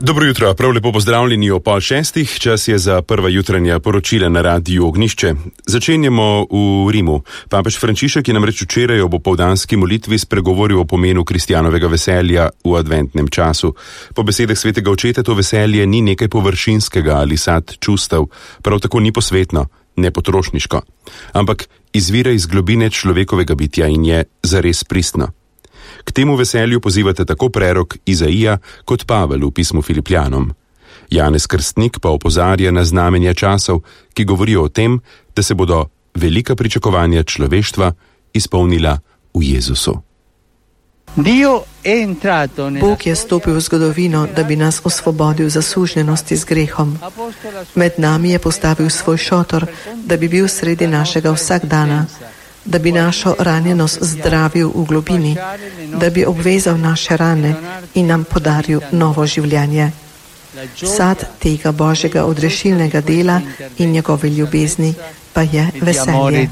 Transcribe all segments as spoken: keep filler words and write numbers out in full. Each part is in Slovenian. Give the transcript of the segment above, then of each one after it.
Dobro jutro, prav lepo pozdravljeni o pol šestih, čas je za prva jutranja poročila na Radiu Ognjišče. Začenjamo v Rimu. Papež Frančišek je namreč včeraj ob opoldanski molitvi spregovoril o pomenu kristjanovega veselja v adventnem času. Po besedah svetega očeta to veselje ni nekaj površinskega ali sad čustev, prav tako ni posvetno, ne potrošniško, ampak izvira iz globine človekovega bitja in je zares pristno. K temu veselju pozivate tako prerok Izaija kot Pavel v pismu Filipljanom. Janez Krstnik pa opozarja na znamenja časov, ki govorijo o tem, da se bodo velika pričakovanja človeštva izpolnila v Jezusu. Bog je stopil v zgodovino, da bi nas osvobodil zasužnjenosti z grehom. Med nami je postavil svoj šotor, da bi bil sredi našega vsakdana, da bi našo ranjenost zdravil v globini, da bi obvezal naše rane in nam podaril novo življenje. Sad tega Božjega odrešilnega dela in njegove ljubezni pa je veselje.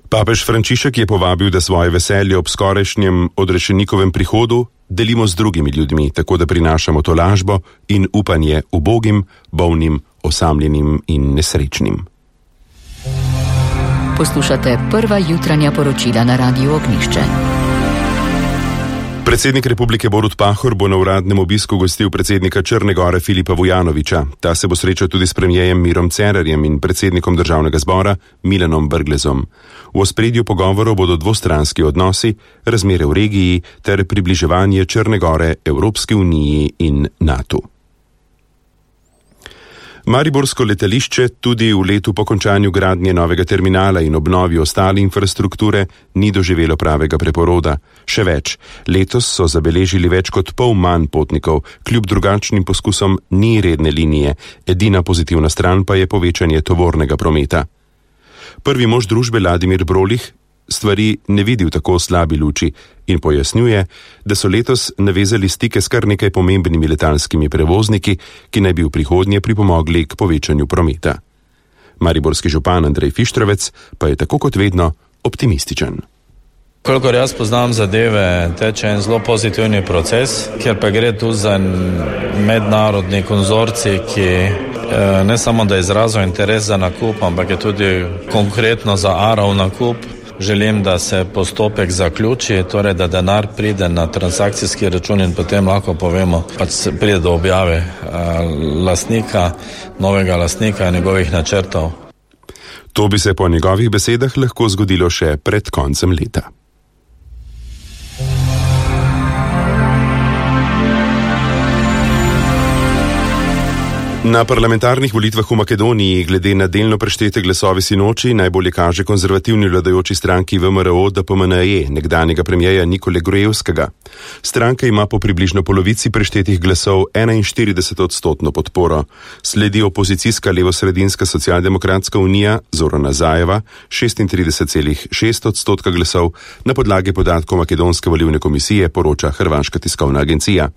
Papež Frančišek je povabil, da svoje veselje ob skorajšnjem odrešenikovem prihodu delimo z drugimi ljudmi, tako da prinašamo tolažbo in upanje ubogim, bolnim, osamljenim in nesrečnim. Poslušate prva jutranja poročila na Radiu Ognjišče. Predsednik Republike Borut Pahor bo na uradnem obisku gostil predsednika Črne Gore Filipa Vujanovića. Ta se bo srečal tudi s premijejem Mirom Cerarjem in predsednikom državnega zbora Milanom Brglezom. V ospredju pogovorov bodo dvostranski odnosi, razmere v regiji ter približevanje Črne Gore Evropski uniji in NATO. Mariborsko letališče tudi v letu po končanju gradnje novega terminala in obnovi ostale infrastrukture ni doživelo pravega preporoda. Še več, letos so zabeležili več kot pol manj potnikov, kljub drugačnim poskusom ni redne linije, edina pozitivna stran pa je povečanje tovornega prometa. Prvi mož družbe Vladimir Brolih stvari ne vidi v tako slabi luči in pojasnjuje, da so letos navezali stike s kar nekaj pomembnimi letalskimi prevozniki, ki naj bi v prihodnje pripomogli k povečanju prometa. Mariborski župan Andrej Fištravec pa je tako kot vedno optimističen. Kolikor jaz poznam zadeve, teče en zelo pozitivni proces, kjer pa gre tu za mednarodni konzorcij, ki ne samo da je izrazil interes za nakup, ampak je tudi konkretno za Arov nakup. Želim, da se postopek zaključi, torej da denar pride na transakcijski račun in potem lahko povemo, pač pride do objave lastnika, novega lastnika in njegovih načrtov. To bi se po njegovih besedah lahko zgodilo še pred koncem leta. Na parlamentarnih volitvah v Makedoniji, glede na delno preštete glasovi sinoči, najbolje kaže konzervativni vladajoči stranki V M R O D P M N E, nekdanjega premijeja Nikole Grujevskega. Stranka ima po približno polovici preštetih glasov enainštirideset odstotno podporo. Sledi opozicijska levosredinska socialdemokratska unija Zorana Zajeva, šestintrideset celih šest odstotka glasov, na podlagi podatkov Makedonske volilne komisije, poroča hrvaška tiskovna agencija.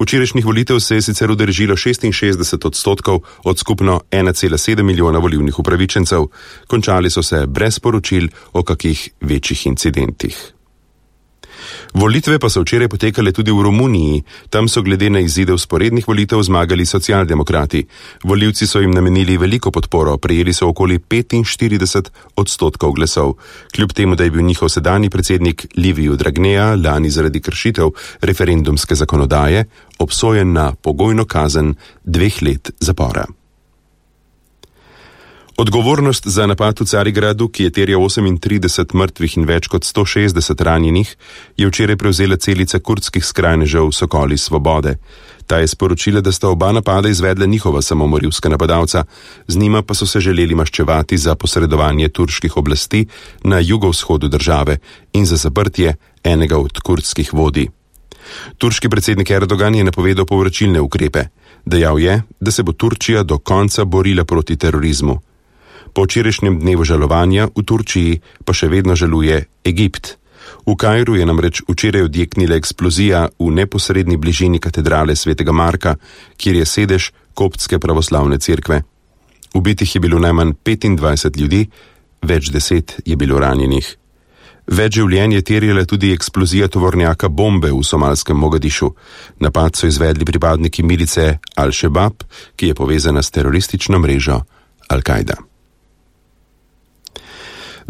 Včerajšnjih volitev se je sicer udeležilo šestinšestdeset odstotkov od skupno ena cela sedem milijona volilnih upravičencev. Končali so se brez poročil o kakih večjih incidentih. Volitve pa so včeraj potekale tudi v Romuniji. Tam so glede na izide vzporednih volitev zmagali socialdemokrati. Volivci so jim namenili veliko podporo, prejeli so okoli petinštirideset odstotkov glasov. Kljub temu, da je bil njihov sedanji predsednik Liviu Dragnea lani zaradi kršitev referendumske zakonodaje obsojen na pogojno kazen dveh let zapora. Odgovornost za napad v Carigradu, ki je terjal osemintrideset mrtvih in več kot sto šestdeset ranjenih, je včeraj prevzela celica kurdskih skrajnežev Sokoli svobode. Ta je sporočila, da sta oba napada izvedla njihova samomorilska napadalca, z njima pa so se želeli maščevati za posredovanje turških oblasti na jugovzhodu države in za zaprtje enega od kurdskih vodij. Turški predsednik Erdogan je napovedal povračilne ukrepe. Dejal je, da se bo Turčija do konca borila proti terorizmu. Po včerajšnjem dnevu žalovanja v Turčiji pa še vedno žaluje Egipt. V Kairu je namreč včeraj odjeknila eksplozija v neposredni bližini katedrale svetega Marka, kjer je sedež koptske pravoslavne cerkve. Ubitih je bilo najmanj petindvajset ljudi, več deset je bilo ranjenih. Več življenj je terjala tudi eksplozija tovornjaka bombe v somalskem Mogadišu. Napad so izvedli pripadniki milice Al-Shabaab, ki je povezana s teroristično mrežo Al-Kaida.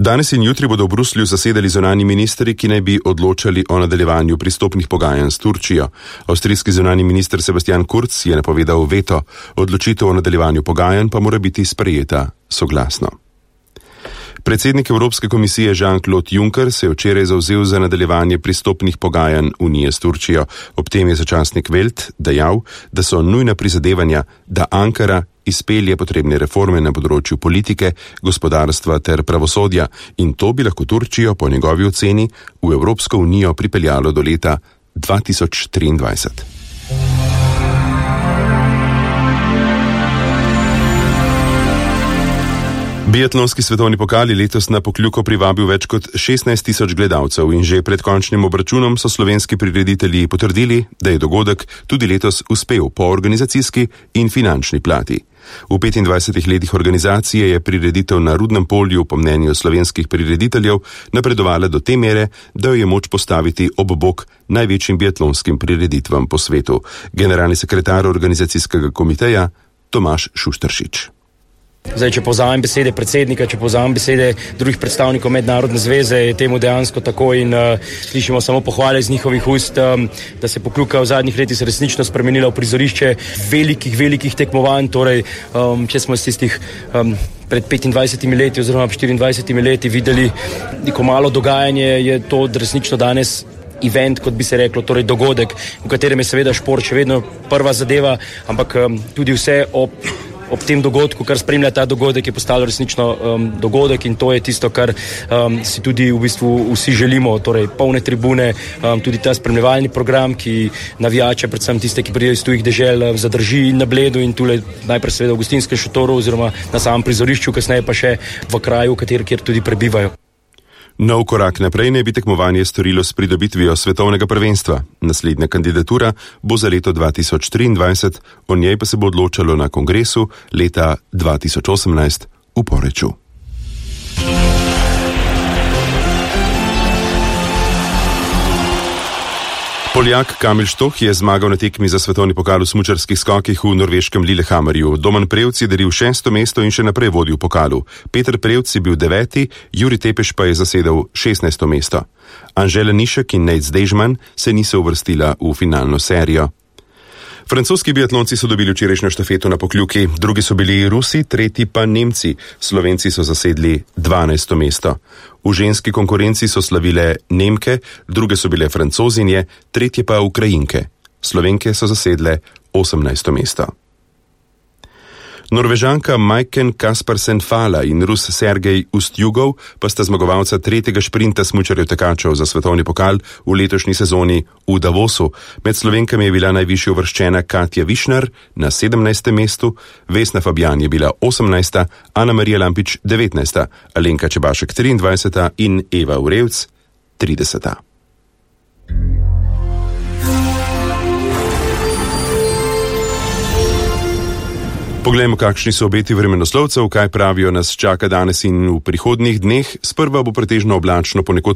Danes in jutri bodo v Bruslju zasedali zunanji ministri, ki naj bi odločali o nadaljevanju pristopnih pogajanj s Turčijo. Avstrijski zunanji minister Sebastian Kurz je napovedal veto, odločitev o nadaljevanju pogajanj pa mora biti sprejeta soglasno. Predsednik Evropske komisije Jean-Claude Juncker se je včeraj zavzel za nadaljevanje pristopnih pogajanj Unije s Turčijo. Ob tem je za časnik Welt dejal, da so nujna prizadevanja, da Ankara izpelje potrebne reforme na področju politike, gospodarstva ter pravosodja in to bi lahko Turčijo po njegovi oceni v Evropsko unijo pripeljalo do leta dva tisoč triindvajset. Biatlonski svetovni pokal je letos na Pokljuko privabil več kot šestnajst tisoč gledalcev in že pred končnim obračunom so slovenski prireditelji potrdili, da je dogodek tudi letos uspel po organizacijski in finančni plati. V petindvajsetih letih organizacije je prireditev na Rudnem polju po mnenju slovenskih prirediteljev napredovala do te mere, da jo je moč postaviti ob bok največjim biatlonskim prireditvam po svetu. Generalni sekretar organizacijskega komiteja Tomaž Šušteršič. Zdaj, če povzamem besede predsednika, če povzamem besede drugih predstavnikov mednarodne zveze, je temu dejansko tako in uh, slišimo samo pohvale iz njihovih ust, um, da se Pokljuka v zadnjih letih resnično spremenila v prizorišče velikih, velikih tekmovanj, torej um, če smo iz tistih um, pred petindvajsetimi leti oziroma štiriindvajsetimi leti videli neko malo dogajanje, je to resnično danes event, kot bi se reklo, torej dogodek, v katerem je seveda šport še vedno prva zadeva, ampak um, tudi vse ob Ob tem dogodku, kar spremlja ta dogodek, je postalo resnično um, dogodek in to je tisto, kar um, si tudi v bistvu vsi želimo, torej polne tribune, um, tudi ta spremljevalni program, ki navijače, predvsem tiste, ki pridejo iz tujih dežel, zadrži na Bledu in tule najprej seveda v gostinskem šotoru oziroma na samem prizorišču, kasneje pa še v kraju, kateri, kjer tudi prebivajo. Nov korak naprej naj bi tekmovanje storilo s pridobitvijo svetovnega prvenstva. Naslednja kandidatura bo za leto dva tisoč triindvajset, o njej pa se bo odločalo na kongresu leta dva tisoč osemnajst v Poreču. Poljak Kamil Štoh je zmagal na tekmi za svetovni pokal v smučarskih skokih v norveškem Lillehammerju. Domen Prevc je delil šesto mesto in še naprej vodil v pokalu. Peter Prevc je bil deveti, Juri Tepeš pa je zasedel šestnajsto mesto. Anžela Nišek in Nejc Dežman se niso uvrstila v finalno serijo. Francoski biatlonci so dobili včerajšnjo štafeto na Pokljuki, drugi so bili Rusi, tretji pa Nemci. Slovenci so zasedli dvanajsto mesto. V ženski konkurenci so slavile Nemke, druge so bile Francozinje, tretje pa Ukrajinke. Slovenke so zasedle osemnajsto mesto. Norvežanka Majken Kaspersen-Fala in Rus Sergej Ustjugov pa sta zmagovalca tretjega šprinta smučarjev tekačev za svetovni pokal v letošnji sezoni v Davosu. Med Slovenkami je bila najvišje uvrščena Katja Višnar na sedemnajstem mestu, Vesna Fabjan je bila osemnajsta, Ana Marija Lampič devetnajsta, Alenka Čebašek triindvajseta in Eva Urevc trideseta. Poglejmo, kakšni so obeti vremenoslovcev, kaj pravijo nas čaka danes in v prihodnjih dneh. Sprva bo pretežno oblačno, ponekod